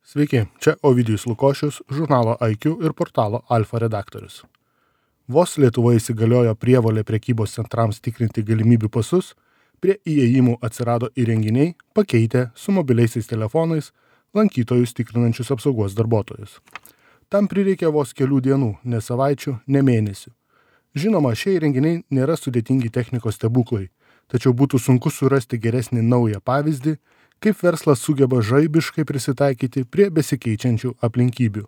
Sveiki, čia Ovidijus Lukošius, žurnalo IQ ir portalo Alfa redaktorius. Vos Lietuvoje įsigaliojo prievolė prekybos centrams tikrinti galimybių pasus, prie įėjimų atsirado įrenginiai, pakeitę su mobiliaisiais telefonais lankytojus tikrinančius apsaugos darbuotojus. Tam prireikė vos kelių dienų, ne savaičių, ne mėnesių. Žinoma, šie įrenginiai nėra sudėtingi technikos stebuklai, tačiau būtų sunku surasti geresnį naują pavyzdį, kaip verslas sugeba žaibiškai prisitaikyti prie besikeičiančių aplinkybių.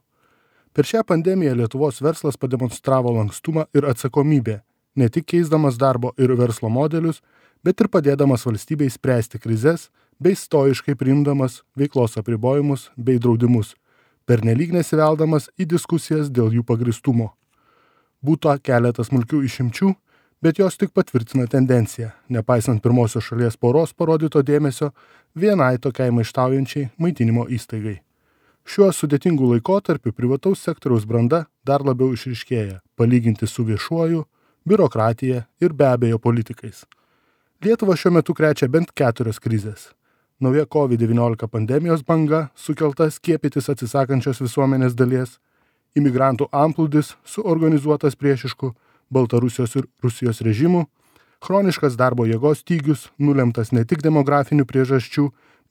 Per šią pandemiją Lietuvos verslas pademonstravo lankstumą ir atsakomybę, ne tik keisdamas darbo ir verslo modelius, bet ir padėdamas valstybei spręsti krizes bei stoiškai priimdamas veiklos apribojimus bei draudimus, pernelyg nesiveldamas į diskusijas dėl jų pagristumo. Būta keletas smulkių išimčių, bet jos tik patvirtina tendenciją, nepaisant pirmosios šalies poros parodyto dėmesio vienai tokiai maištaujančiai maitinimo įstaigai. Šiuo sudėtingu laikotarpiu privataus sektoriaus branda dar labiau išryškėja, palyginti su viešuoju, biurokratija ir be abejo politikais. Lietuva šiuo metu krečia bent 4 krizės. Nauja COVID-19 pandemijos banga, sukelta skiepytis atsisakančios visuomenės dalies, imigrantų antplūdis suorganizuotas priešiškų Baltarusijos ir Rusijos režimų, chroniškas darbo jėgos stygius, nulemtas ne tik demografinių priežasčių,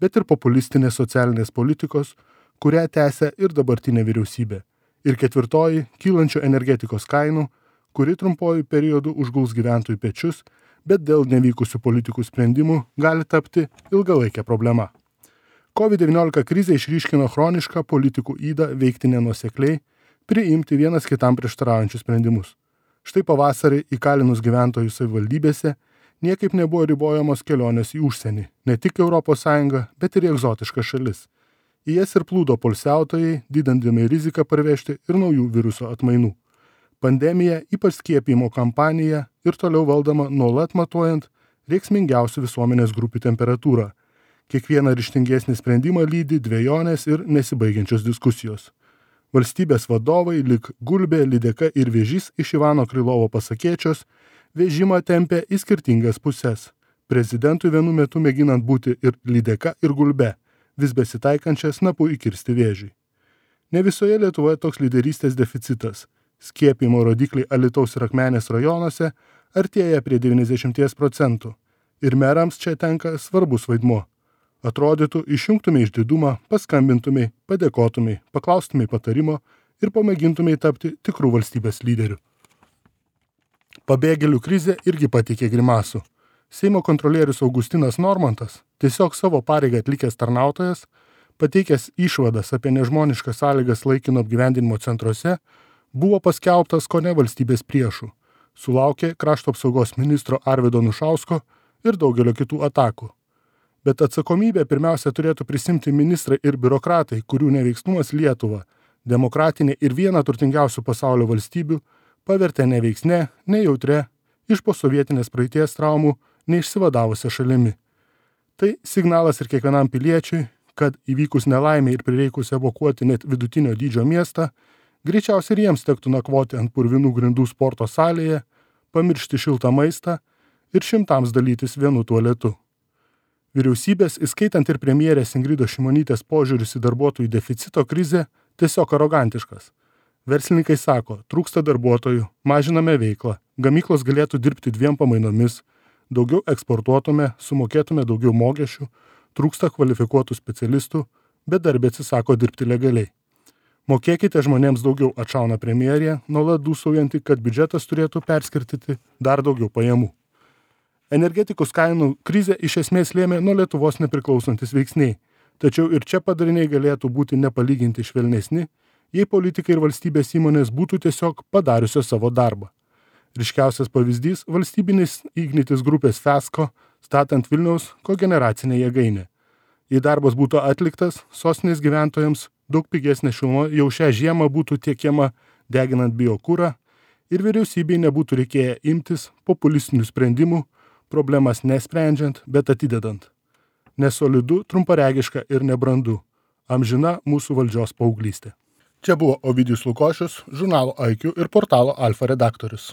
bet ir populistinės socialinės politikos, kurią tęsia ir dabartinė vyriausybė. Ir 4, kylančių energetikos kainų, kuri trumpuoju periodu užguls gyventojų pečius, bet dėl nevykusių politikų sprendimų gali tapti ilgalaikė problema. COVID-19 krizė išryškino chronišką politikų ydą veikti nenuosekliai, priimti vienas kitam prieštaraujančius sprendimus. Štai pavasarį įkalinus gyventojų savivaldybėse niekaip nebuvo ribojamos kelionės į užsienį, ne tik ES, bet ir į egzotiškas šalis. Į jas ir plūdo poilsiautojai, didindami riziką parvežti ir naujų viruso atmainų. Pandemija, ypač skiepijimo kampanija ir toliau valdoma nuolat matuojant reiksmingiausių visuomenės grupių temperatūrą. Kiekvieną ryžtingesnį sprendimą lydi dvejonės ir nesibaigiančios diskusijos. Valstybės vadovai, lyg Gulbė, Lydeka ir Vėžys iš Ivano Krylovo pasakėčios, vežimą tempė į skirtingas puses. Prezidentui vienu metu mėginant būti ir Lydeka, ir Gulbe, vis besitaikančią snapu įkirsti vėžiui. Ne visoje Lietuvoje toks lyderystės deficitas. Skiepijimo rodikliai Alytaus ir Akmenės rajonuose artėja prie 90%. Ir merams čia tenka svarbus vaidmuo. Atrodytų, išjungtumei išdidumą, paskambintumei, padėkotumei, paklaustumei patarimo ir pamėgintumei tapti tikrų valstybės lyderių. Pabėgėlių krizė irgi pateikė grimasų. Seimo kontrolierius Augustinas Normantas, tiesiog savo pareigą atlikęs tarnautojas, pateikęs išvadas apie nežmoniškas sąlygas laikino apgyvendinimo centruose, buvo paskelbtas kone valstybės priešų. Sulaukė krašto apsaugos ministro Arvydo Anušausko ir daugelio kitų atakų. Bet atsakomybę pirmiausia turėtų prisimti ministrai ir biurokratai, kurių neveiksnumas Lietuvą, demokratinė ir viena turtingiausių pasaulio valstybių, pavertė neveiksne, nejautre, iš posovietinės praeities traumų neišsivadavusią šalimi. Tai signalas ir kiekvienam piliečiui, kad įvykus nelaimė ir prireikus evakuoti net vidutinio dydžio miestą, greičiausiai ir jiems tektų nakvoti ant purvinų grindų sporto salėje, pamiršti šiltą maistą ir šimtams dalytis vienu tualetu. Vyriausybės, įskaitant ir premjerės Ingridos Šimonytės požiūris į darbuotojų deficito krizę, tiesiog arogantiškas. Verslininkai sako, trūksta darbuotojų, mažiname veiklą, gamyklos galėtų dirbti 2 pamainomis, daugiau eksportuotume, sumokėtume daugiau mokesčių, trūksta kvalifikuotų specialistų, bet darbė atsisako dirbti legaliai. Mokėkite žmonėms daugiau, atšauna premjerė, nuolat dūsaujanti, kad biudžetas turėtų perskirtyti dar daugiau pajamų. Energetikos kainų krizė iš esmės lėmė nuo Lietuvos nepriklausantis veiksniai, tačiau ir čia padariniai galėtų būti nepalyginti švelnesni, jei politikai ir valstybės įmonės būtų tiesiog padariusios savo darbą. Ryškiausias pavyzdys – valstybinis Ignitis grupės Fesko, statant Vilniaus kogeneracinę jėgainę. Jei darbas būtų atliktas, sostinės gyventojams daug pigesnė šiluma jau šią žiemą būtų tiekiama deginant biokurą ir vyriausybei nebūtų reikėję imtis populistinių sprendimų, problemas nesprendžiant, bet atidedant. Nesolidu, trumparegiška ir nebrandu. Amžina mūsų valdžios paauglystė. Čia buvo Ovidijus Lukošius, žurnalo IQ ir portalo Alfa redaktorius.